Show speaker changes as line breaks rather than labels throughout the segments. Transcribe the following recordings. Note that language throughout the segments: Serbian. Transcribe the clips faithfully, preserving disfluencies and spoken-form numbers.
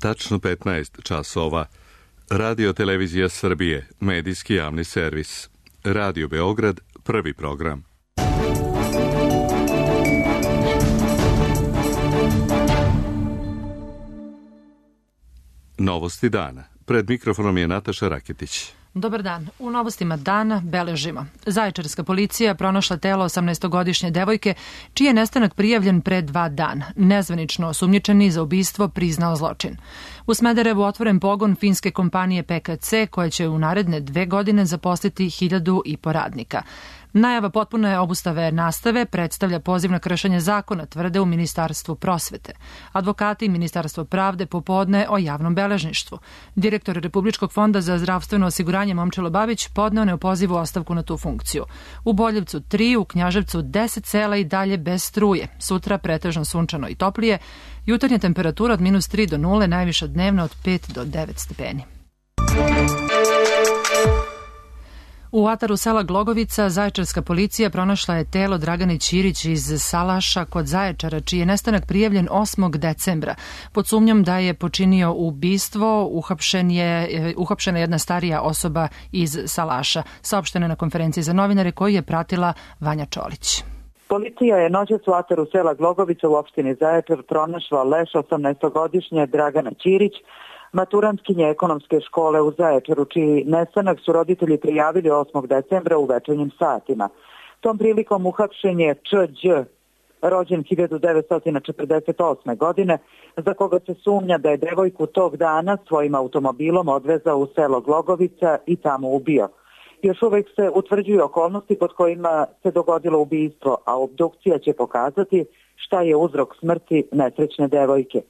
Tačno petnaest časova. Radio Televizija Srbije, medijski javni servis. Radio Beograd, prvi program. Novosti dana. Pred mikrofonom je Nataša Raketić.
Dobar dan. U novostima dana beležimo. Zaječarska policija pronašla telo osamnaestogodišnje devojke, čiji je nestanak prijavljen pre dva dana. Nezvanično osumnjičeni za ubistvo priznao zločin. U Smederevu otvoren pogon finske kompanije P K C, koja će u naredne dve godine zaposliti hiljadu i po radnika. Najava potpune obustave nastave predstavlja poziv na kršenje zakona, tvrde u Ministarstvu prosvete. Advokati i Ministarstvo pravde popodne o javnom beležništvu. Direktor Republičkog fonda za zdravstveno osiguranje Momčilo Babić podneo ne u pozivu ostavku na tu funkciju. U Boljevcu tri, u Knjaževcu deset sela i dalje bez struje. Sutra pretežno sunčano i toplije. Jutarnja temperatura od minus tri do nule, najviša dnevna od pet do devet stepeni. U ataru sela Glogovica zaječarska policija pronašla je telo Dragane Ćirić iz Salaša kod Zaječara, čiji je nestanak prijavljen osmog decembra. Pod sumnjom da je počinio ubistvo, uhapšen je, uhapšena jedna starija osoba iz Salaša. Saopšteno je na konferenciji za novinare koju je pratila Vanja Čolić.
Policija je noćas u ataru sela Glogovica u opštini Zaječar pronašla leš osamnaestogodišnje Dragana Ćirić, maturantkinje ekonomske škole u Zaječaru, čiji nestanak su roditelji prijavili osmog decembra u večernjim satima. Tom prilikom uhapšen je Č Đ, rođen hiljadu devetsto četrdeset osme. godine, za koga se sumnja da je devojku tog dana svojim automobilom odvezao u selo Glogovica i tamo ubio. Još uvek se utvrđuju okolnosti pod kojima se dogodilo ubistvo, a obdukcija će pokazati šta je uzrok smrti nesrećne devojke.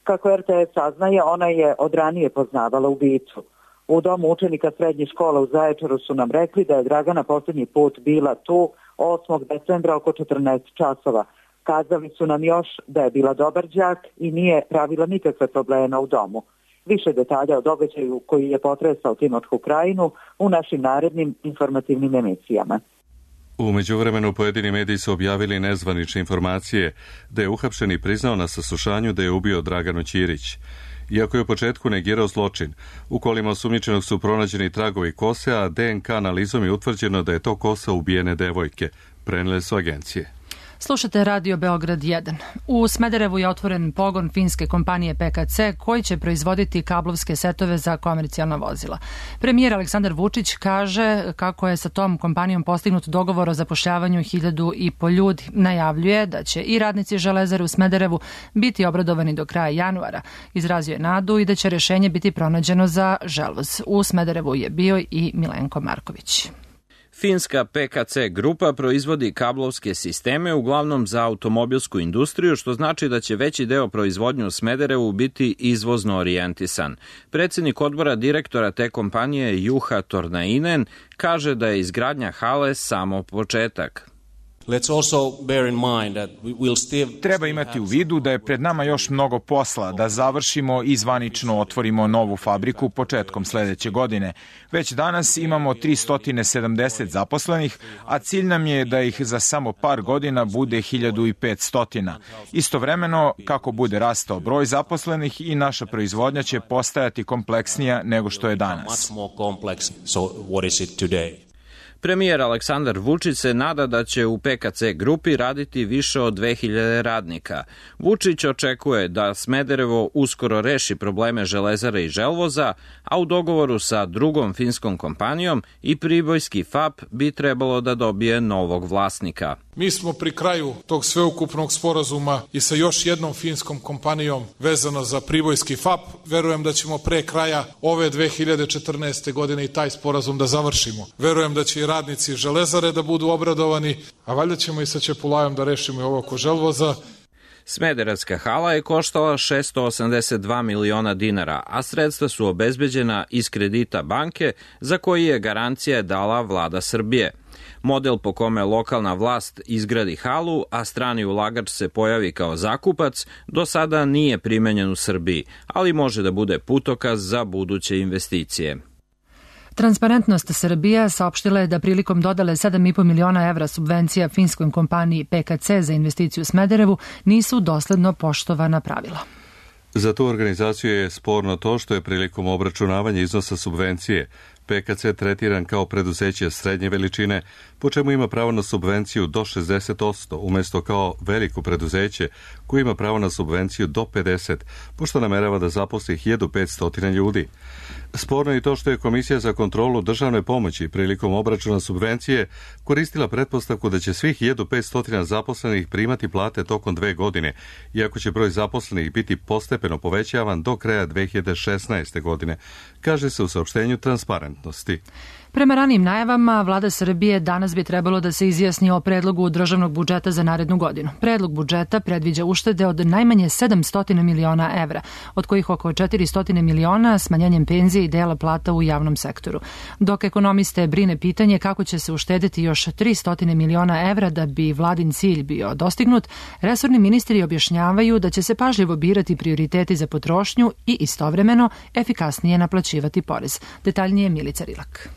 Kako R T S saznaje, ona je od ranije poznavala ubicu. U domu učenika srednje škole u Zaječaru su nam rekli da je Dragana posljednji put bila tu osmog decembra oko četrnaest časova. Kazali su nam još da je bila dobar đak i nije pravila nikakve probleme u domu. Više detalja o događaju koji je potresao Timočku krajinu u našim narednim informativnim emisijama.
U međuvremenu pojedini mediji su objavili nezvanične informacije da je uhapšeni priznao na saslušanju da je ubio Draganu Ćirić. Iako je u početku negirao zločin, u kolima osumnjičenog su pronađeni tragovi kose, a D N K analizom je utvrđeno da je to kosa ubijene devojke, prenele su agencije.
Slušate Radio Beograd jedan. U Smederevu je otvoren pogon finske kompanije P K C koji će proizvoditi kablovske setove za komercijalna vozila. Premijer Aleksandar Vučić kaže kako je sa tom kompanijom postignut dogovor o zapošljavanju hiljadu i po ljudi. Najavljuje da će i radnici Železare u Smederevu biti obradovani do kraja januara. Izrazio je nadu i da će rešenje biti pronađeno za Želvoz. U Smederevu je bio i Milenko Marković.
Finska P K C grupa proizvodi kablovske sisteme uglavnom za automobilsku industriju, što znači da će veći deo proizvodnje u Smederevu biti izvozno orijentisan. Predsjednik odbora direktora te kompanije Juha Tornainen kaže da je izgradnja hale samo početak.
Treba imati u vidu da je pred nama još mnogo posla, da završimo i zvanično otvorimo novu fabriku početkom sledeće godine. Već danas imamo tristo sedamdeset zaposlenih, a cilj nam je da ih za samo par godina bude hiljadu petsto. Istovremeno, kako bude rastao broj zaposlenih, i naša proizvodnja će postajati kompleksnija nego što je danas.
Premijer Aleksandar Vučić se nada da će u P K C grupi raditi više od dve hiljade radnika. Vučić očekuje da Smederevo uskoro reši probleme Železare i Želvoza, a u dogovoru sa drugom finskom kompanijom i pribojski F A P bi trebalo da dobije novog vlasnika.
Mi smo pri kraju tog sveukupnog sporazuma i sa još jednom finskom kompanijom vezano za pribojski F A P. Verujem da ćemo pre kraja ove dve hiljade četrnaeste. godine i taj sporazum da završimo. Verujem da će i radnici Železare da budu obradovani, a valjda ćemo i sa Čepulajom da rešimo i ovo oko Želvoza.
Smederevska hala je koštala šesto osamdeset dva miliona dinara, a sredstva su obezbeđena iz kredita banke za koji je garancija dala vlada Srbije. Model po kome lokalna vlast izgradi halu, a strani ulagač se pojavi kao zakupac, do sada nije primenjen u Srbiji, ali može da bude putokaz za buduće investicije.
Transparentnost Srbija saopštila je da prilikom dodale sedam i po miliona evra subvencija finskoj kompaniji P K C za investiciju u Smederevu nisu dosledno poštovana pravila.
Za tu organizaciju je sporno to što je prilikom obračunavanja iznosa subvencije P K C tretiran kao preduzeće srednje veličine, po čemu ima pravo na subvenciju do šezdeset posto, umjesto kao veliko preduzeće koje ima pravo na subvenciju do pedeset posto, pošto namerava da zaposli hiljadu petsto ljudi. Sporno je i to što je Komisija za kontrolu državne pomoći prilikom obračuna subvencije koristila pretpostavku da će svih hiljadu petsto zaposlenih primati plate tokom dve godine, iako će broj zaposlenih biti postepeno povećavan do kraja dve hiljade šesnaeste. godine, kaže se u saopštenju Transparentnosti.
Prema ranijim najavama, vlada Srbije danas bi trebalo da se izjasni o predlogu državnog budžeta za narednu godinu. Predlog budžeta predviđa uštede od najmanje sedamsto miliona evra, od kojih oko četiristo miliona smanjenjem penzije i dela plata u javnom sektoru. Dok ekonomiste brine pitanje kako će se uštedeti još tristo miliona evra da bi vladin cilj bio dostignut, resorni ministri objašnjavaju da će se pažljivo birati prioriteti za potrošnju i istovremeno efikasnije naplaćivati porez. Detaljnije Milica Rilak.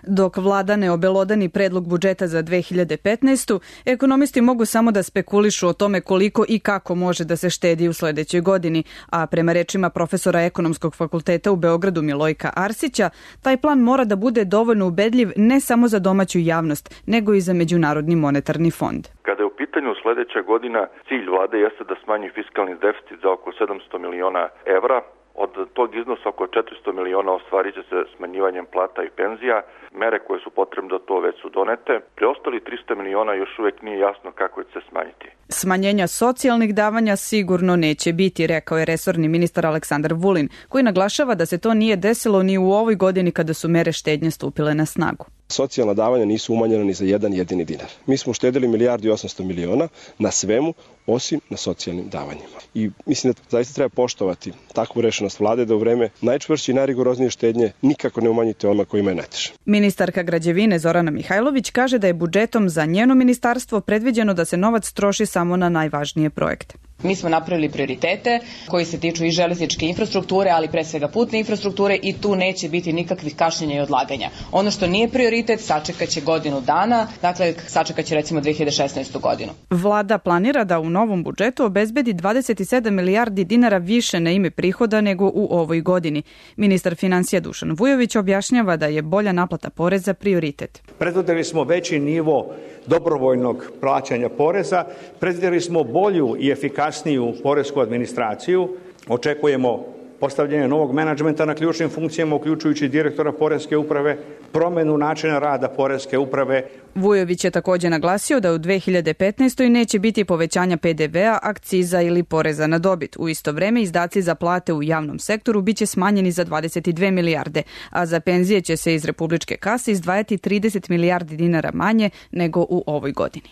Dok vlada ne obelodani predlog budžeta za dve hiljade petnaestu. ekonomisti mogu samo da spekulišu o tome koliko i kako može da se štedi u sledećoj godini, a prema rečima profesora Ekonomskog fakulteta u Beogradu Milojka Arsića, taj plan mora da bude dovoljno ubedljiv ne samo za domaću javnost, nego i za Međunarodni monetarni fond.
Kada je u pitanju sledeća godina, cilj vlade jeste da smanji fiskalni deficit za oko sedamsto miliona evra. Od tog iznosa oko četiristo miliona ostvarit će se smanjivanjem plata i penzija. Mere koje su potrebne da to već su donete. Preostali tristo miliona još uvek nije jasno kako će se smanjiti.
Smanjenja socijalnih davanja sigurno neće biti, rekao je resorni ministar Aleksandar Vulin, koji naglašava da se to nije desilo ni u ovoj godini kada su mere štednje stupile na snagu.
Socijalna davanja nisu umanjena ni za jedan jedini dinar. Mi smo uštedili milijardu i osamsto miliona na svemu, osim na socijalnim davanjima. I mislim da zaista treba poštovati takvu rešenost vlade da u vreme najčvršće i najrigoroznije štednje nikako ne umanjite onima kojima je najteže.
Ministarka građevine Zorana Mihajlović kaže da je budžetom za njeno ministarstvo predviđeno da se novac troši samo na najvažnije projekte.
Mi smo napravili prioritete koji se tiču i železničke infrastrukture, ali pre svega putne infrastrukture i tu neće biti nikakvih kašnjenja i odlaganja. Ono što nije prioritet sačekaće godinu dana, dakle sačekaće recimo dve hiljade šesnaestu. godinu.
Vlada planira da u novom budžetu obezbedi dvadeset sedam milijardi dinara više na ime prihoda nego u ovoj godini. Ministar finansija Dušan Vujović objašnjava da je bolja naplata poreza prioritet.
Predvideli smo veći nivo dobrovoljnog plaćanja poreza, predvideli smo bolju i efikasniju poresku administraciju, očekujemo postavljanje novog menadžmenta na ključnim funkcijama, uključujući direktora poreske uprave, promenu načina rada poreske uprave.
Vujović je također naglasio da u dve hiljade petnaestoj. neće biti povećanja P D V-a, akciza ili poreza na dobit. U isto vreme izdaci za plate u javnom sektoru biće smanjeni za dvadeset dve milijarde, a za penzije će se iz republičke kase izdvajati trideset milijardi dinara manje nego u ovoj godini.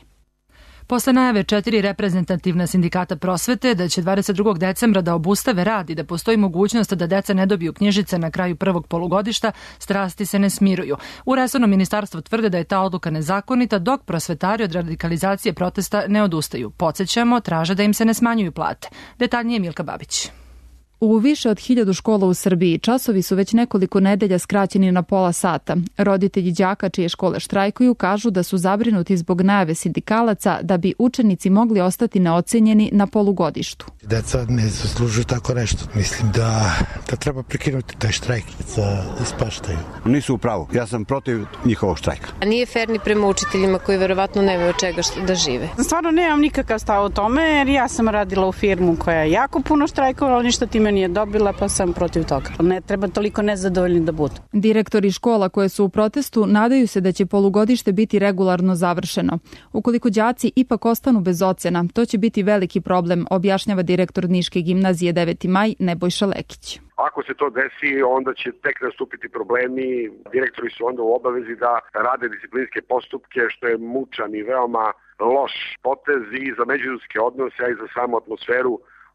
Posle najave četiri reprezentativna sindikata prosvete da će dvadeset drugog decembra da obustave rad i da postoji mogućnost da deca ne dobiju knjižice na kraju prvog polugodišta, strasti se ne smiruju. U resornom ministarstvu tvrde da je ta odluka nezakonita, dok prosvetari od radikalizacije protesta ne odustaju. Podsjećamo, traže da im se ne smanjuju plate. Detaljnije Milka Babić.
U više od hiljadu škola u Srbiji časovi su već nekoliko nedelja skraćeni na pola sata. Roditelji đaka čije škole štrajkuju kažu da su zabrinuti zbog najave sindikalaca da bi učenici mogli ostati neocenjeni na polugodištu.
Deca ne zaslužuju tako nešto. Mislim da, da treba prekinuti taj štrajk za ispaštaju.
Nisu u pravu. Ja sam protiv njihovog štrajka.
A nije fair ni prema učiteljima koji verovatno nemaju od čega da žive.
Stvarno nemam nikakav stav o tome jer ja sam radila u firmu koja je jako puno štrajkovala, ništa time nije dobila, pa sam protiv toga. Ne treba toliko nezadovoljni da budu.
Direktori škola koje su u protestu nadaju se da će polugodište biti regularno završeno. Ukoliko đaci ipak ostanu bez ocena, to će biti veliki problem, objašnjava direktor Niške gimnazije deveti maj Nebojša Lekić.
Ako se to desi, onda će tek nastupiti problemi. Direktori su onda u obavezi da rade disciplinske postupke, što je mučan i veoma loš potez i za međuljudske odnose, a i za samu atmosferu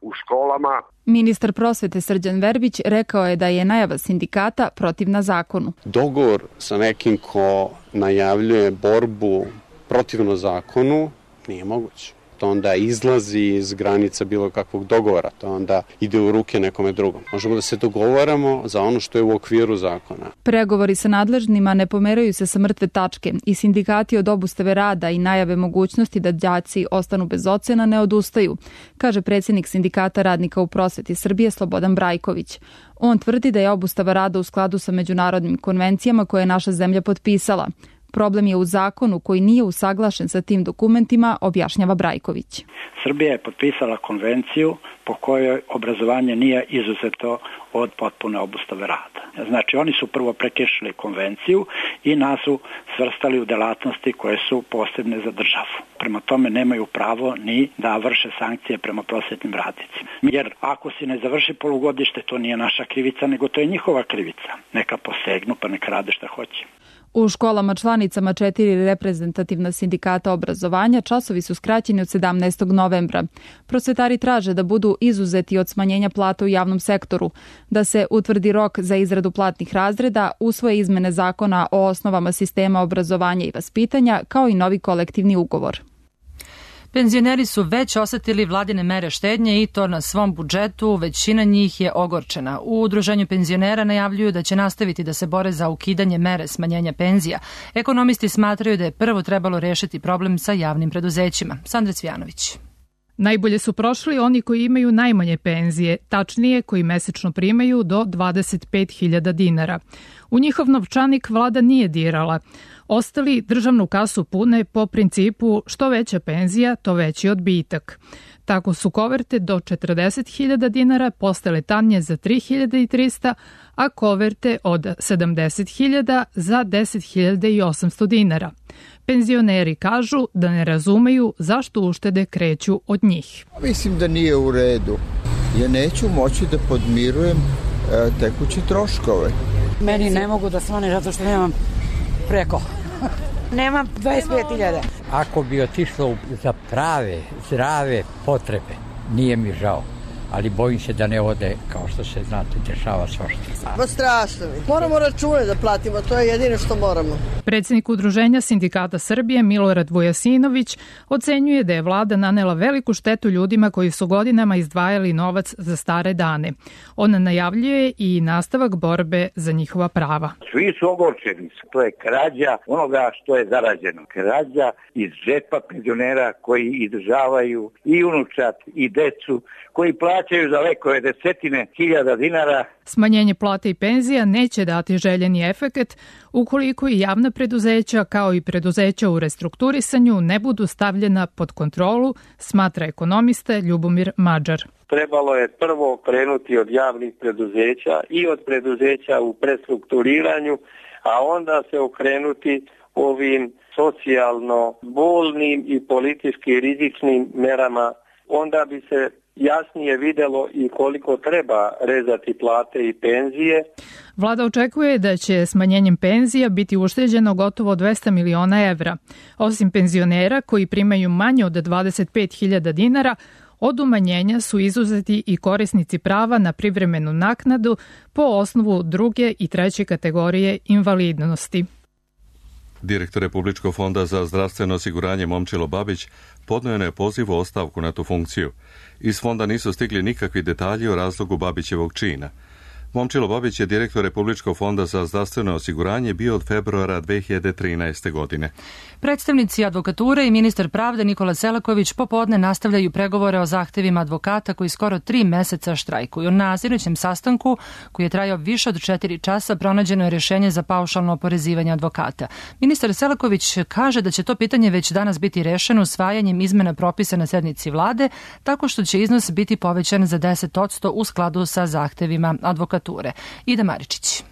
u školama.
Ministar prosvete Srđan Verbić rekao je da je najava sindikata protivna zakonu.
Dogovor sa nekim ko najavljuje borbu protivno zakonu nije moguće. to onda izlazi iz granica bilo kakvog dogovora, to onda ide u ruke nekome drugom. Možemo da se dogovaramo za ono što je u okviru zakona.
Pregovori sa nadležnima ne pomeraju se sa mrtve tačke i sindikati od obustave rada i najave mogućnosti da đaci ostanu bez ocena ne odustaju, kaže predsjednik Sindikata radnika u prosveti Srbije Slobodan Brajković. On tvrdi da je obustava rada u skladu sa međunarodnim konvencijama koje je naša zemlja potpisala. Problem je u zakonu koji nije usaglašen sa tim dokumentima, objašnjava Brajković.
Srbija je potpisala konvenciju po kojoj obrazovanje nije izuzeto od potpune obustave rada. Znači, oni su prvo prekršili konvenciju i nas su svrstali u delatnosti koje su posebne za državu. Prema tome nemaju pravo ni da vrše sankcije prema prosvetnim radnicima. Jer ako si ne završi polugodište, to nije naša krivica, nego to je njihova krivica. Neka posegnu pa neka rade šta hoće.
U školama članicama četiri reprezentativna sindikata obrazovanja časovi su skraćeni od sedamnaestog novembra. Prosvetari traže da budu izuzeti od smanjenja plata u javnom sektoru, da se utvrdi rok za izradu platnih razreda, usvoje izmene zakona o osnovama sistema obrazovanja i vaspitanja, kao i novi kolektivni ugovor.
Penzioneri su već osetili vladine mere štednje i to na svom budžetu, većina njih je ogorčena. U udruženju penzionera najavljuju da će nastaviti da se bore za ukidanje mere smanjenja penzija. Ekonomisti smatraju da je prvo trebalo rešiti problem sa javnim preduzećima. Sandra Cvijanović.
Najbolje su prošli oni koji imaju najmanje penzije, tačnije koji mesečno primaju do dvadeset pet hiljada dinara. U njihov novčanik vlada nije dirala. Ostali državnu kasu pune po principu što veća penzija, to veći odbitak. Tako su koverte do četrdeset hiljada dinara postale tanje za tri hiljade trista, a koverte od sedamdeset hiljada za deset hiljada osamsto dinara. Penzioneri kažu da ne razumeju zašto uštede kreću od njih.
Mislim da nije u redu. Ja neću moći da podmirujem e, tekuće troškove.
Meni ne mogu da svane zato što nemam preko. Nemam dvadeset pet hiljada.
Ako bi otišlo za prave, zdrave potrebe, nije mi žao. Ali bojim se da ne ode kao što se, znate, dešava svašta.
Pa strašno mi. Moramo račune da platimo, to je jedino što moramo.
Predsjednik Udruženja Sindikata Srbije Milorad Vujasinović ocenjuje da je vlada nanela veliku štetu ljudima koji su godinama izdvajali novac za stare dane. On najavljuje i nastavak borbe za njihova prava.
Svi su ogorčeni. To je krađa onoga što je zarađeno. Krađa iz džepa penzionera koji izdržavaju i unučat i decu, koji plaćaju za lekove desetine hiljada dinara.
Smanjenje plata i penzija neće dati željeni efekat ukoliko i javna preduzeća kao i preduzeća u restrukturisanju ne budu stavljena pod kontrolu, smatra ekonomista Ljubomir Mađar.
Trebalo je prvo krenuti od javnih preduzeća i od preduzeća u prestrukturiranju, a onda se okrenuti ovim socijalno bolnim i politički rizičnim merama. Onda bi se jasnije videlo i koliko treba rezati plate i penzije.
Vlada očekuje da će smanjenjem penzija biti ušteđeno gotovo dvesta miliona evra. Osim penzionera koji primaju manje od dvadeset pet hiljada dinara, od umanjenja su izuzeti i korisnici prava na privremenu naknadu po osnovu druge i treće kategorije invalidnosti.
Direktor Republičkog fonda za zdravstveno osiguranje Momčilo Babić podnio je poziv o ostavku na tu funkciju. Iz fonda nisu stigli nikakvi detalji o razlogu Babićevog čina. Momčilo Babić je direktor Republičkog fonda za zdravstveno osiguranje bio od februara dve hiljade trinaeste. godine.
Predstavnici advokature i ministar pravde Nikola Selaković popodne nastavljaju pregovore o zahtevima advokata koji skoro tri meseca štrajkuju. Na sinoćem sastanku, koji je trajao više od četiri časa, pronađeno je rješenje za paušalno oporezivanje advokata. Ministar Selaković kaže da će to pitanje već danas biti rešeno usvajanjem izmena propisa na sednici vlade, tako što će iznos biti povećan za deset posto u skladu sa zahtevima advokature. Ida Maričić.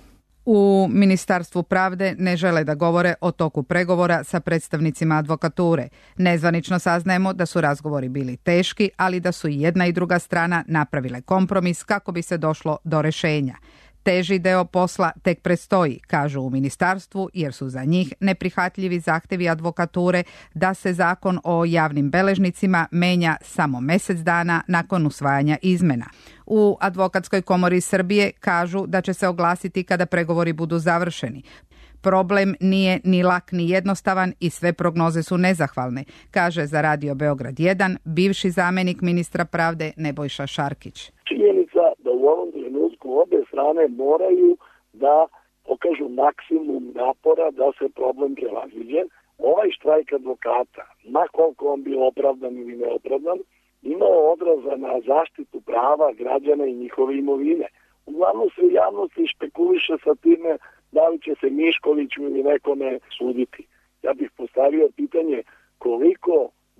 U Ministarstvu pravde ne žele da govore o toku pregovora sa predstavnicima advokature. Nezvanično saznajemo da su razgovori bili teški, ali da su i jedna i druga strana napravile kompromis kako bi se došlo do rešenja. Teži deo posla tek predstoji, kažu u ministarstvu, jer su za njih neprihvatljivi zahtevi advokature da se zakon o javnim beležnicima menja samo mesec dana nakon usvajanja izmena. U Advokatskoj komori Srbije kažu da će se oglasiti kada pregovori budu završeni. problem nije ni lak ni jednostavan i sve prognoze su nezahvalne, kaže za Radio Beograd jedan bivši zamenik ministra pravde Nebojša Šarkić.
Činjenica da u ovom trenutku obe strane moraju da pokažu maksimum napora da se problem prevaziđe. Ovaj štrajk advokata, ma koliko on bio opravdan ili neopravdan, imao odraza na zaštitu prava građana i njihove imovine. Uglavnom se u javnosti špekuliše sa time da li će se Miškoviću ili nekome suditi. Ja bih postavio pitanje koliko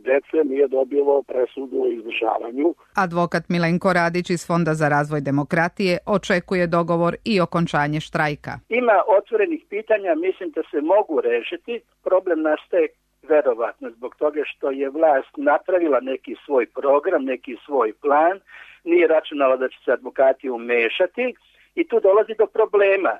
dece nije dobilo presudu o izdržavanju.
Advokat Milenko Radić iz Fonda za razvoj demokratije očekuje dogovor i okončanje štrajka.
Ima otvorenih pitanja, mislim da se mogu rešiti. Problem nastaje verovatno zbog toga što je vlast napravila neki svoj program, neki svoj plan, nije računala da će se advokati umešati i tu dolazi do problema.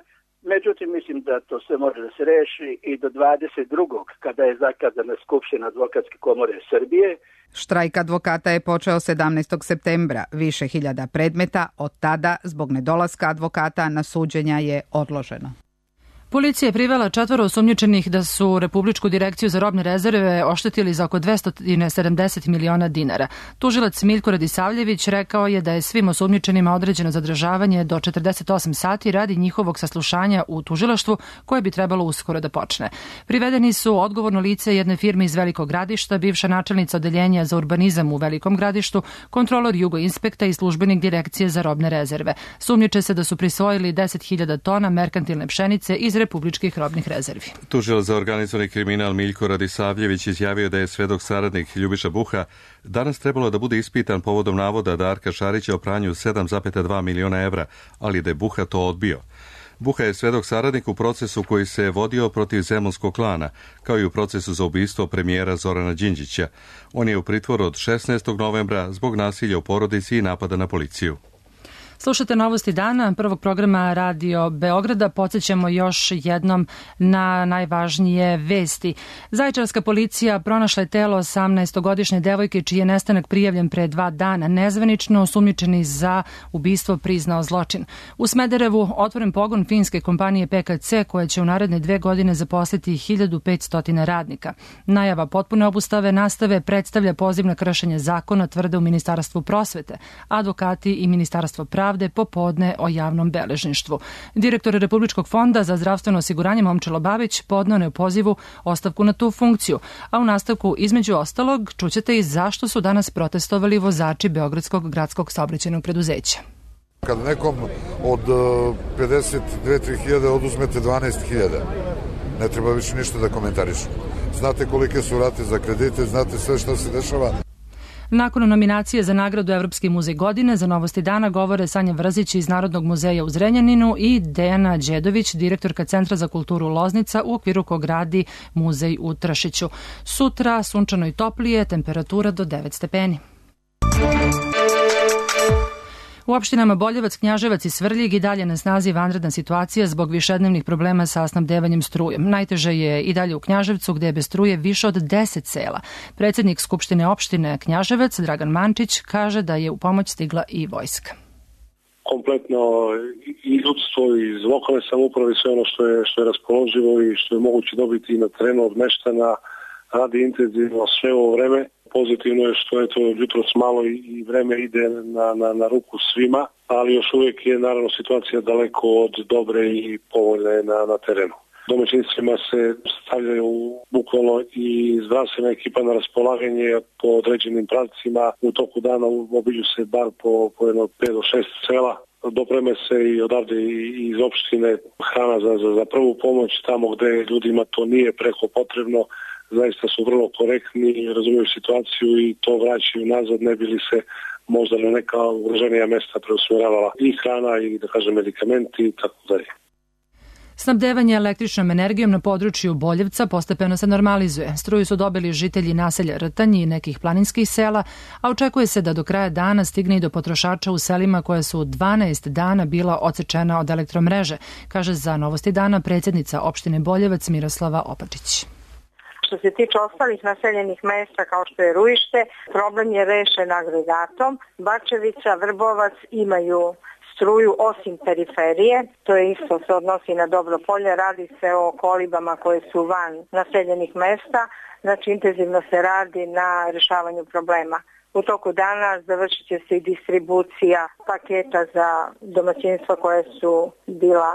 Međutim, mislim da to sve može da se reši i do dvadeset drugog kada je zakazana Skupština Advokatske komore Srbije.
Štrajk advokata je počeo sedamnaestog septembra. Više hiljada predmeta od tada zbog nedolaska advokata na suđenja je odloženo.
Policija je privela četvoro osumnjičenih da su Republičku direkciju za robne rezerve oštetili za oko dvesta sedamdeset miliona dinara. Tužilac Miljko Radisavljević rekao je da je svim osumnjičenima određeno zadržavanje do četrdeset osam sati radi njihovog saslušanja u tužilaštvu koje bi trebalo uskoro da počne. Privedeni su odgovorno lice jedne firme iz Velikog Gradišta, bivša načelnica odeljenja za urbanizam u Velikom Gradištu, kontrolor Jugoinspekta i službenik Direkcije za robne rezerve. Sumnjiče se da su prisvojili deset hiljada tona merkantilne pšenice iz republičkih robnih rezervi.
Tužilac za organizovani kriminal Miljko Radisavljević izjavio da je svedok saradnik Ljubiša Buha danas trebalo da bude ispitan povodom navoda Darka Šarića o pranju sedam zarez dva miliona evra, ali da je Buha to odbio. Buha je svedok saradnik u procesu koji se vodio protiv zemunskog klana, kao i u procesu za ubistvo premijera Zorana Đinđića. On je u pritvoru od šesnaestog novembra zbog nasilja u porodici i napada na policiju.
Slušate Novosti dana, prvog programa Radio Beograda. Podsjećamo još jednom na najvažnije vesti. Zaječarska policija pronašla je telo osamnaestogodišnje devojke čiji je nestanak prijavljen pre dva dana. Nezvanično osumnjičeni za ubistvo priznao zločin. U Smederevu otvoren pogon finske kompanije P K C koja će u naredne dve godine zaposliti hiljadu petsto radnika. Najava potpune obustave nastave predstavlja poziv na kršenje zakona, tvrde u Ministarstvu prosvete, advokati i Ministarstvo pravde popodne o javnom beležništvu. Direktor Republičkog fonda za zdravstveno osiguranje Momčilo Babić podneo je u pozivu ostavku na tu funkciju, a u nastavku između ostalog čućete i zašto su danas protestovali vozači Beogradskog gradskog saobraćajnog preduzeća.
Kad nekom od pedeset dve do tri hiljade oduzmete dvanaest hiljada, ne treba više ništa da komentarišu. Znate kolike su rate za kredite, znate sve što se dešava.
Nakon nominacije za nagradu Evropski muzej godine za Novosti dana govore Sanja Vrzić iz Narodnog muzeja u Zrenjaninu i Dejana Đedović, direktorka Centra za kulturu Loznica u okviru kog radi muzej u Tršiću. Sutra sunčano i toplije, temperatura do devet stepeni. U opštinama Boljevac, Knjaževac i Svrljig i dalje na snazi vanredna situacija zbog višednevnih problema sa snabdevanjem strujem. Najteže je i dalje u Knjaževcu gde je bez struje više od deset sela. Predsednik Skupštine opštine Knjaževac, Dragan Mančić, kaže da je u pomoć stigla i vojska.
Kompletno i ljudstvo iz lokalne samouprave, sve ono što je, što je raspoloživo i što je moguće dobiti na terenu od meštana radi intenzivno sve ovo vreme. Pozitivno je što je to jutros malo i vreme ide na, na, na ruku svima, ali još uvijek je naravno situacija daleko od dobre i povoljne na, na terenu. Domaćinstvima se stavljaju bukvalno i zdravstvena ekipa na raspolaganje po određenim pravcima. U toku dana obiđu se bar po, po jedno pet do šest sela. Dopreme se i odavde iz opštine hrana za, za, za prvu pomoć tamo gde ljudima to nije preko potrebno. Zaista su vrlo korektni, razumiju situaciju i to vraćaju nazad, ne bi li se možda na neka ugroženija mesta preusmjeravala i hrana i da kažem medikamenti i tako dalje.
Snabdevanje električnom energijom na području Boljevca postepeno se normalizuje. Struju su dobili žitelji naselja Rtanj i nekih planinskih sela, a očekuje se da do kraja dana stigne i do potrošača u selima koja su dvanaest dana bila odsečena od elektromreže, kaže za Novosti dana predsjednica opštine Boljevac Miroslava Opačić.
Što se tiče ostalih naseljenih mesta kao što je Ruište, problem je rešen agregatom. Bačevica, Vrbovac imaju struju osim periferije. To je isto se odnosi na Dobropolje. Radi se o kolibama koje su van naseljenih mesta. Znači intenzivno se radi na rješavanju problema. U toku dana završit će se i distribucija paketa za domaćinstva koje su bila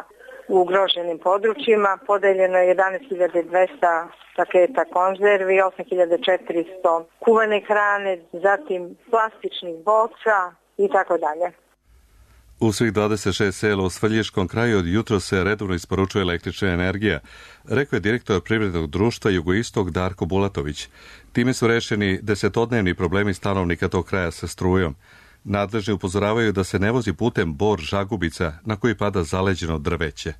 u ugroženim područjima. Podeljeno je jedanaest hiljada dvesta paketa konzervi, osam hiljada četiristo kuvane hrane, zatim plastičnih boca i tako dalje.
U svih dvadeset šest sela u Svrljiškom kraju od jutro se redovno isporučuje električna energija, rekao je direktor privrednog društva Jugoistok Darko Bulatović. Time su rešeni desetodnevni problemi stanovnika tog kraja sa strujom. Nadležni upozoravaju da se ne vozi putem Bor-Žagubica na koji pada zaleđeno drveće.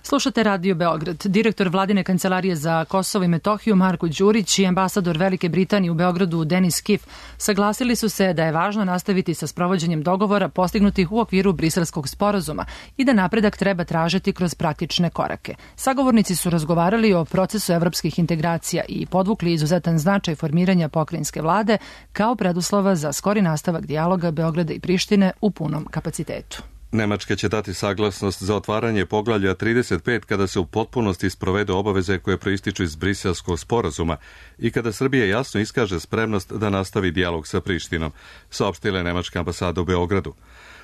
Slušate Radio Beograd. Direktor Vladine kancelarije za Kosovo i Metohiju Marko Đurić i ambasador Velike Britanije u Beogradu Denis Kif saglasili su se da je važno nastaviti sa sprovođenjem dogovora postignutih u okviru Briselskog sporazuma i da napredak treba tražiti kroz praktične korake. Sagovornici su razgovarali o procesu evropskih integracija i podvukli izuzetan značaj formiranja pokrajinske vlade kao preduslova za skori nastavak dijaloga Beograda i Prištine u punom kapacitetu.
Nemačka će dati saglasnost za otvaranje poglavlja trideset pet kada se u potpunosti sprovedu obaveze koje proističu iz Briselskog sporazuma i kada Srbija jasno iskaže spremnost da nastavi dijalog sa Prištinom, saopštila je nemačka ambasada u Beogradu.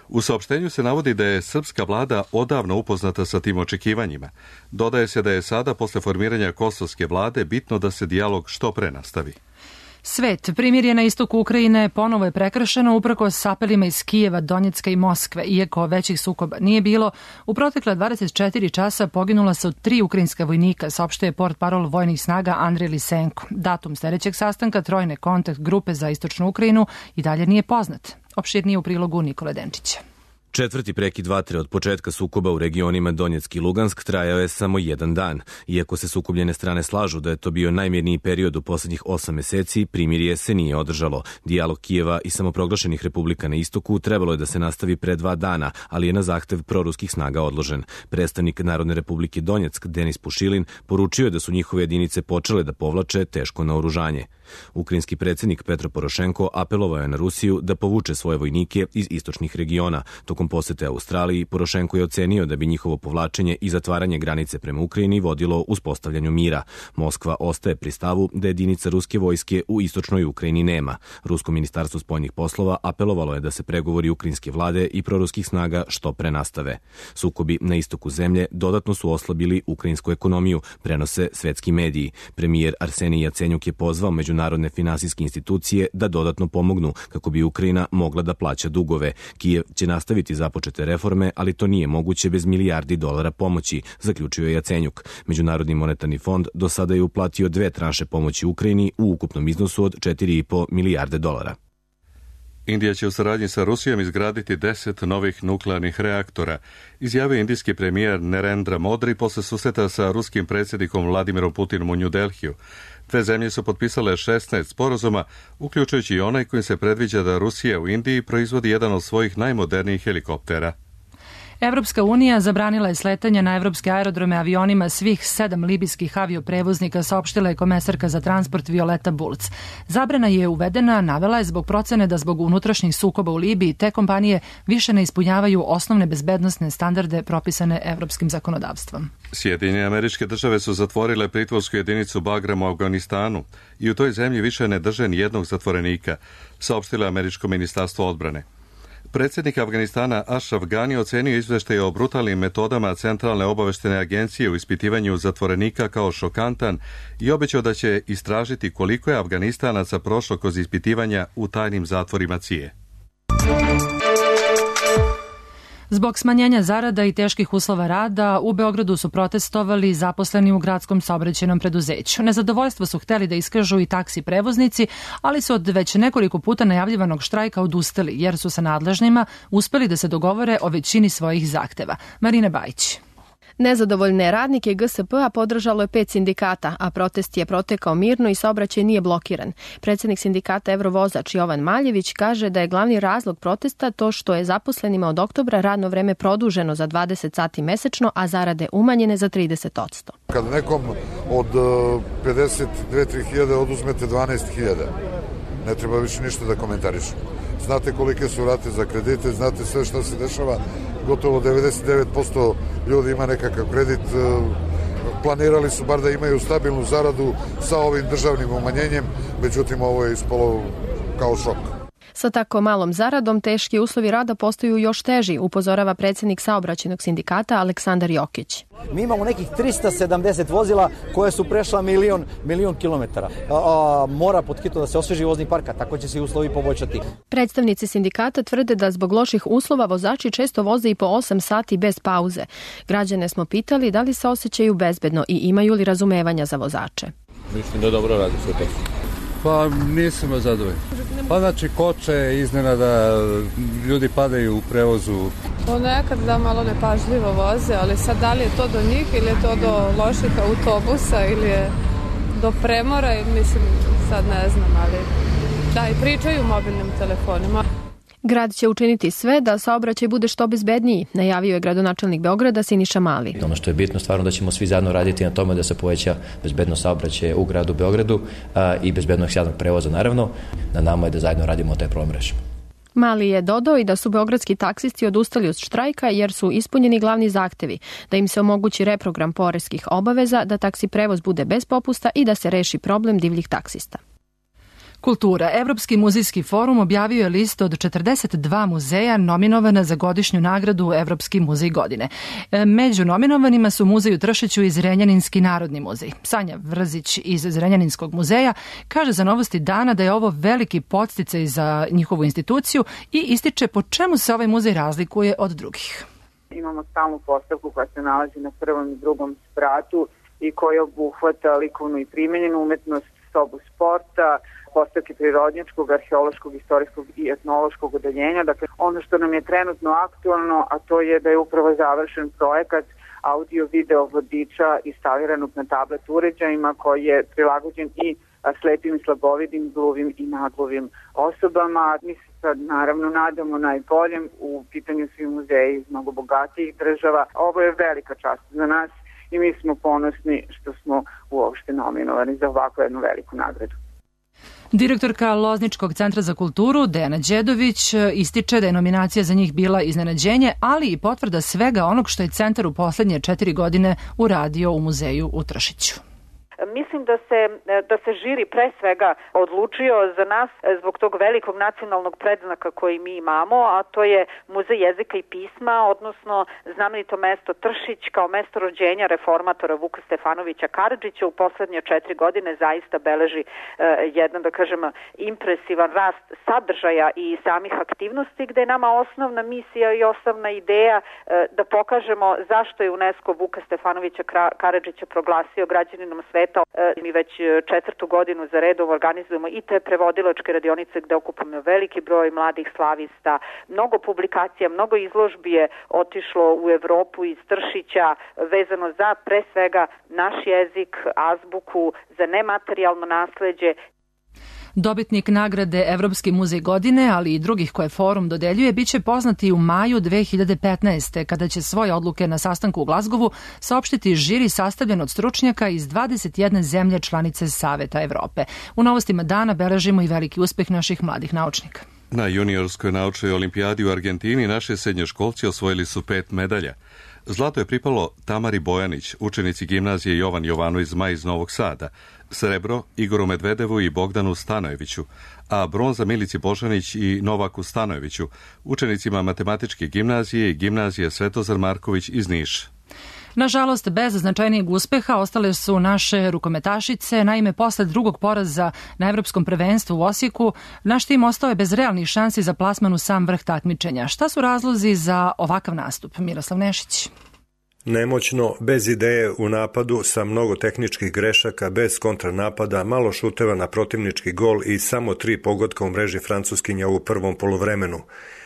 U saopštenju se navodi da je srpska vlada odavno upoznata sa tim očekivanjima. Dodaje se da je sada, posle formiranja kosovske vlade, bitno da se dijalog što pre nastavi.
Svet, primirje na istoku Ukrajine ponovo je prekršeno uprkos apelima iz Kijeva, Donjecka i Moskve. Iako većih sukoba nije bilo, u protekla dvadeset četiri časa poginula su tri ukrajinska vojnika, saopštuje portparol vojnih snaga Andrej Lisenko. Datum sledećeg sastanka trojne kontakt grupe za istočnu Ukrajinu i dalje nije poznat. Opširnije u prilogu Nikole Denčića.
Četvrti prekid vatre od početka sukoba u regionima Donjeck i Lugansk trajao je samo jedan dan. Iako se sukobljene strane slažu da je to bio najmirniji period u poslednjih osam meseci, primirje se nije održalo. Dijalog Kijeva i samoproglašenih republika na istoku trebalo je da se nastavi pre dva dana, ali je na zahtev proruskih snaga odložen. Predstavnik Narodne republike Donjeck, Denis Pušilin, poručio je da su njihove jedinice počele da povlače teško naoružanje. Ukrajinski predsjednik Petro Porošenko apelovao je na Rusiju da povuče svoje vojnike iz istočnih regiona. Tokom posete Australiji, Porošenko je ocenio da bi njihovo povlačenje i zatvaranje granice prema Ukrajini vodilo uspostavljanju mira. Moskva ostaje pri stavu da jedinica ruske vojske u istočnoj Ukrajini nema. Rusko ministarstvo spoljnih poslova apelovalo je da se pregovori ukrajinske vlade i proruskih snaga što pre nastave. Sukobi na istoku zemlje dodatno su oslabili ukrajinsku ekonomiju, prenose svetski mediji. Premijer Arsenij Jacenjuk je pozvao međunarodne finansijske institucije da dodatno pomognu kako bi Ukrajina mogla da plaća dugove. Kijev će nastaviti započete reforme, ali to nije moguće bez milijardi dolara pomoći, zaključio je Jacenjuk. Međunarodni monetarni fond do sada je uplatio dve tranše pomoći Ukrajini u ukupnom iznosu od četiri i po milijarde dolara.
Indija će u saradnji sa Rusijom izgraditi deset novih nuklearnih reaktora, izjavio indijski premijer Narendra Modi posle susreta sa ruskim predsjednikom Vladimirom Putinom u New Delhiju. Dve zemlje su potpisale šesnaest sporazuma, uključujući i onaj kojim se predviđa da Rusija u Indiji proizvodi jedan od svojih najmodernijih helikoptera.
Evropska unija zabranila je sletanje na evropske aerodrome avionima svih sedam libijskih avioprevoznika, saopštila je komesarka za transport Violeta Bulc. Zabrana je uvedena, navela je zbog procene da zbog unutrašnjih sukoba u Libiji te kompanije više ne ispunjavaju osnovne bezbednosne standarde propisane evropskim zakonodavstvom.
Sjedinjene Američke Države su zatvorile pritvorsku jedinicu Bagram u Afganistanu i u toj zemlji više ne drže ni jednog zatvorenika, saopštilo je Američko ministarstvo odbrane. Predsjednik Afganistana Ashraf Ghani ocenio izveštaj o brutalnim metodama Centralne obaveštene agencije u ispitivanju zatvorenika kao šokantan i obećao da će istražiti koliko je Afganistanaca prošlo kroz ispitivanja u tajnim zatvorima C I E.
Zbog smanjenja zarada i teških uslova rada, u Beogradu su protestovali zaposleni u gradskom saobraćajnom preduzeću. Nezadovoljstvo su hteli da iskažu i taksi prevoznici, ali su od već nekoliko puta najavljivanog štrajka odustali, jer su sa nadležnima uspeli da se dogovore o većini svojih zahteva. Marina Bajić.
Nezadovoljne radnike G S P-a podržalo je pet sindikata, a protest je protekao mirno i saobraćaj nije blokiran. Predsjednik sindikata Evrovozač Jovan Maljević kaže da je glavni razlog protesta to što je zaposlenima od oktobra radno vreme produženo za dvadeset sati mesečno, a zarade umanjene za trideset posto.
Kad nekom od pedeset dve do tri hiljade oduzmete dvanaest hiljada, ne treba više ništa da komentarišu. Znate kolike su rate za kredite, znate sve što se dešava. gotovo devedeset devet posto ljudi ima nekakav kredit, planirali su bar da imaju stabilnu zaradu sa ovim državnim umanjenjem, međutim ovo je ispalo kao šok.
Sa tako malom zaradom teški uslovi rada postaju još teži, upozorava predsjednik saobraćajnog sindikata Aleksandar Jokić.
Mi imamo nekih trista sedamdeset vozila koje su prešla milion, milion kilometara. A, a, mora pod hitno da se osveži vozni park, a tako će se i uslovi poboljšati.
Predstavnici sindikata tvrde da zbog loših uslova vozači često voze i po osam sati bez pauze. Građane smo pitali da li se osjećaju bezbedno i imaju li razumevanja za vozače.
Mislim da dobro radi sve to.
Pa nisam zadovoljan. Pa znači koče, iznenada ljudi padaju u prevozu.
Ponekad da malo nepažljivo voze, ali sad da li je to do njih ili je to do loših autobusa ili je do premora, mislim sad ne znam, ali da i pričaju mobilnim telefonima.
Grad će učiniti sve da saobraćaj bude što bezbedniji, najavio je gradonačelnik Beograda Siniša Mali.
Ono što je bitno stvarno da ćemo svi zajedno raditi na tome da se poveća bezbednost saobraćaja u gradu Beogradu a, i bezbednost javnog prevoza naravno. Na nama je da zajedno radimo taj problem rešimo.
Mali je dodao i da su beogradski taksisti odustali od štrajka jer su ispunjeni glavni zahtevi, da im se omogući reprogram poreskih obaveza, da taksi prevoz bude bez popusta i da se reši problem divljih taksista.
Kultura. Evropski muzejski forum objavio je listu od četrdeset dva muzeja nominovana za godišnju nagradu Evropski muzej godine. Među nominovanima su muzej u Tršiću i Zrenjaninski narodni muzej. Sanja Vrzić iz Zrenjaninskog muzeja kaže za Novosti dana da je ovo veliki podsticaj za njihovu instituciju i ističe po čemu se ovaj muzej razlikuje od drugih.
Imamo stalnu postavku koja se nalazi na prvom i drugom spratu i koja obuhvata likovnu i primenjenu umetnost, sobu sporta, postavke prirodnjačkog, arheološkog, istorijskog i etnološkog odeljenja. Dakle, ono što nam je trenutno aktualno, a to je da je upravo završen projekat audio-video vodiča instaliranog na tablet uređajima koji je prilagođen i slepim i slabovidim, gluvim i naglovim osobama. Mi se sad naravno nadamo najboljem, u pitanju svi muzeji iz mnogo bogatijih država. Ovo je velika čast za nas i mi smo ponosni što smo uopšte nominovani za ovakvu jednu veliku nagradu.
Direktorka Lozničkog centra za kulturu Dejana Đedović ističe da je nominacija za njih bila iznenađenje, ali i potvrda svega onog što je centar u poslednje četiri godine uradio u muzeju u Tršiću.
Mislim da se, da se žiri pre svega odlučio za nas zbog tog velikog nacionalnog predznaka koji mi imamo, a to je Muzej jezika i pisma, odnosno znamenito mesto Tršić kao mesto rođenja reformatora Vuka Stefanovića Karadžića. U poslednje četiri godine zaista beleži eh, jedan, da kažem, impresivan rast sadržaja i samih aktivnosti, gde je nama osnovna misija i osnovna ideja eh, da pokažemo zašto je UNESCO Vuka Stefanovića Karadžića proglasio građaninom sveta. Mi već četvrtu godinu za redom organizujemo i te prevodilačke radionice gde okupamo veliki broj mladih slavista. Mnogo publikacija, mnogo izložbi je otišlo u Evropu iz Tršića vezano za pre svega naš jezik, azbuku, za nematerijalno nasleđe.
Dobitnik nagrade Evropski muzej godine, ali i drugih koje forum dodeljuje, biće poznati u maju dve hiljade petnaeste. kada će svoje odluke na sastanku u Glazgovu saopštiti žiri sastavljen od stručnjaka iz dvadeset jedne zemlje članice Saveta Evrope. U Novostima dana beležimo i veliki uspeh naših mladih naučnika.
Na juniorskoj naučnoj olimpijadi u Argentini naše srednjoškolci osvojili su pet medalja. Zlato je pripalo Tamari Bojanić, učenici gimnazije Jovan Jovanović Zmaj iz Novog Sada, srebro Igoru Medvedevu i Bogdanu Stanojeviću, a bronza Milici Božanić i Novaku Stanojeviću, učenicima matematičke gimnazije i gimnazije Svetozar Marković iz Niša.
Nažalost, bez značajnijeg uspeha ostale su naše rukometašice. Naime, posle drugog poraza na Evropskom prvenstvu u Osijeku, naš tim ostao je bez realnih šansi za plasman u sam vrh takmičenja. Šta su razlozi za ovakav nastup? Miroslav Nešić.
Nemoćno, bez ideje u napadu, sa mnogo tehničkih grešaka, bez kontranapada, malo šuteva na protivnički gol i samo tri pogotka u mreži Francuskinja u prvom poluvremenu.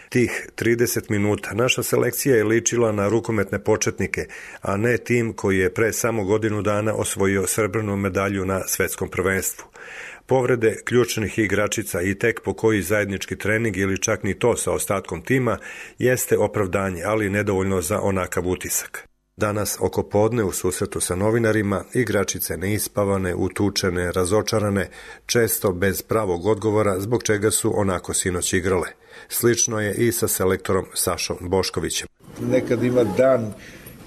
Tih trideset minuta naša selekcija je ličila na rukometne početnike, a ne tim koji je pre samo godinu dana osvojio srebrnu medalju na svetskom prvenstvu. Povrede ključnih igračica i tek po koji zajednički trening ili čak ni to sa ostatkom tima jeste opravdanje, ali nedovoljno za onakav utisak. Danas oko podne u susretu sa novinarima igračice neispavane, utučene, razočarane, često bez pravog odgovora zbog čega su onako sinoć igrale. Slično je i sa selektorom Sašom Boškovićem.
nekad ima dan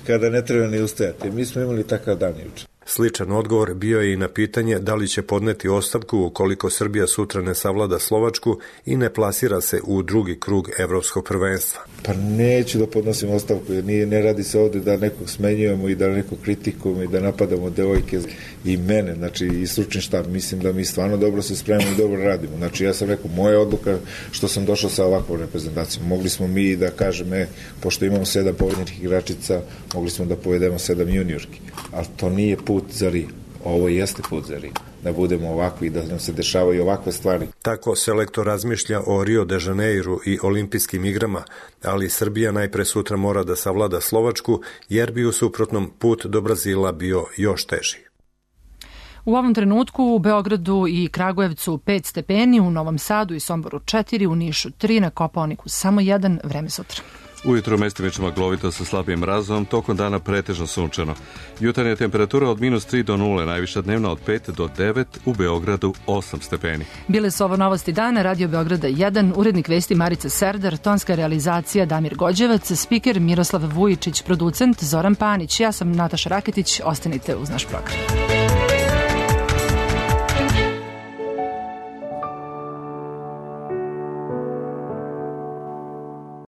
kada ne treba ni ustajati. Mi smo imali takav dan juče.
Sličan odgovor bio je i na pitanje da li će podneti ostavku ukoliko Srbija sutra ne savlada Slovačku i ne plasira se u drugi krug evropskog prvenstva.
Pa neću da podnosim ostavku, jer nije, ne radi se ovde da nekog smenjujemo i da nekog kritikujemo i da napadamo devojke i mene, znači i stručni štab. Mislim da mi stvarno dobro se spremamo i dobro radimo. Znači ja sam rekao, moja odluka što sam došao sa ovakvom reprezentacijom. Mogli smo mi da kažemo, e, pošto imamo sedam povedenih igračica, mogli smo da povedemo sedam juniorki, ali to nije put za Rio. Ovo jeste put za Rio. Da budemo ovakvi i da nam se dešavaju ovakve stvari.
Tako selektor razmišlja o Rio de Janeiru i olimpijskim igrama, ali Srbija najpre sutra mora da savlada Slovačku, jer bi u suprotnom put do Brazila bio još teži.
U ovom trenutku u Beogradu i Kragujevcu pet stepeni, u Novom Sadu i Somboru četiri, u Nišu tri, na Kopaoniku samo jedan, vreme sutra.
Ujutro mestimično maglovito sa slabim mrazom, tokom dana pretežno sunčano. Jutarnja temperatura od minus tri do nule, najviša dnevna od pet do devet, u Beogradu osam stepeni.
Bile su ovo novosti dana, Radio Beograda jedan, urednik vesti Marica Serdar, tonska realizacija Damir Gođevac, spiker Miroslav Vujičić, producent Zoran Panić. Ja sam Nataša Raketić, ostanite uz naš program.